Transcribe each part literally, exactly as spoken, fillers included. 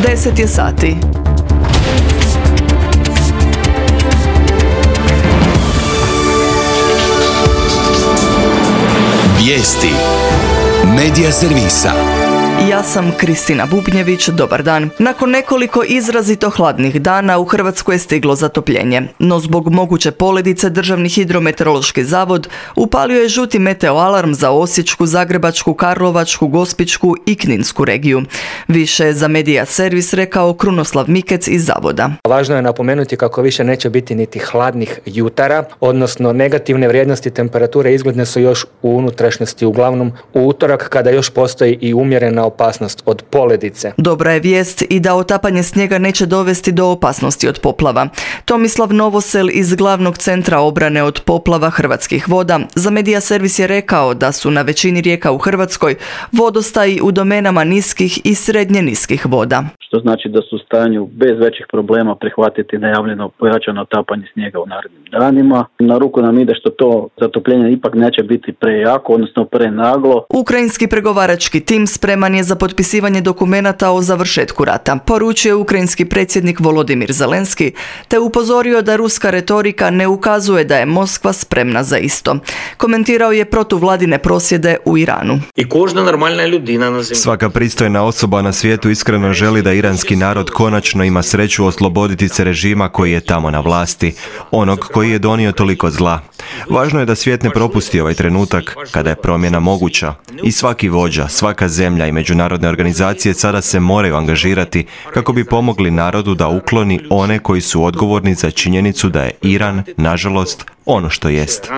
deset je sati. Vijesti Medija servisa. Ja sam Kristina Bubnjević, dobar dan. Nakon nekoliko izrazito hladnih dana u Hrvatsku je stiglo zatopljenje, no zbog moguće poledice Državni hidrometeorološki zavod upalio je žuti meteoalarm za Osječku, Zagrebačku, Karlovačku, Gospićku i Kninsku regiju. Više je za Medija servis rekao Krunoslav Mikec iz zavoda. Važno je napomenuti kako više neće biti niti hladnih jutara, odnosno negativne vrijednosti temperature izgledne su još u unutrašnjosti, uglavnom u utorak kada još postoji i umjerena opasnost od poledice. Dobra je vijest i da otapanje snijega neće dovesti do opasnosti od poplava. Tomislav Novosel iz Glavnog centra obrane od poplava Hrvatskih voda za Medija servis je rekao da su na većini rijeka u Hrvatskoj vodostaji u domenama niskih i srednje niskih voda. Što znači da su u stanju bez većih problema prihvatiti najavljeno pojačano otapanje snijega u narednim danima. Na ruku nam ide što to zatopljenje ipak neće biti prejako, odnosno prenaglo. Ukrajinski pregovarački tim spreman je za potpisivanje dokumenata o završetku rata, poručio ukrajinski predsjednik Volodimir Zelenski, te upozorio da ruska retorika ne ukazuje da je Moskva spremna za isto. Komentirao je protuvladine prosvjede u Iranu. Svaka pristojna osoba na svijetu iskreno želi da iranski narod konačno ima sreću osloboditi se režima koji je tamo na vlasti, onog koji je donio toliko zla. Važno je da svijet ne propusti ovaj trenutak kada je promjena moguća i svaki vođa, svaka zemlja i međunarodne organizacije sada se moraju angažirati kako bi pomogli narodu da ukloni one koji su odgovorni za činjenicu da je Iran, nažalost, ono što jest.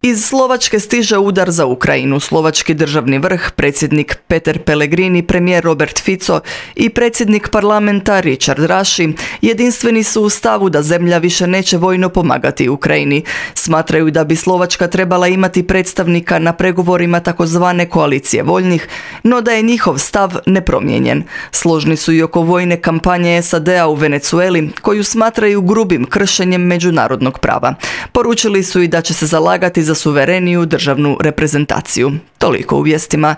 Iz Slovačke stiže udar za Ukrajinu. Slovački državni vrh, predsjednik Peter Pellegrini, premijer Robert Fico i predsjednik parlamenta Richard Raši jedinstveni su u stavu da zemlja više neće vojno pomagati Ukrajini. Smatraju da bi Slovačka trebala imati predstavnika na pregovorima takozvane koalicije voljnih, no da je njihov stav nepromijenjen. Složni su i oko vojne kampanje S A D-a u Venezueli, koju smatraju grubim kršenjem međunarodnog prava. Poručili su i da će se zalagati za suvereniju državnu reprezentaciju. Toliko u vijestima.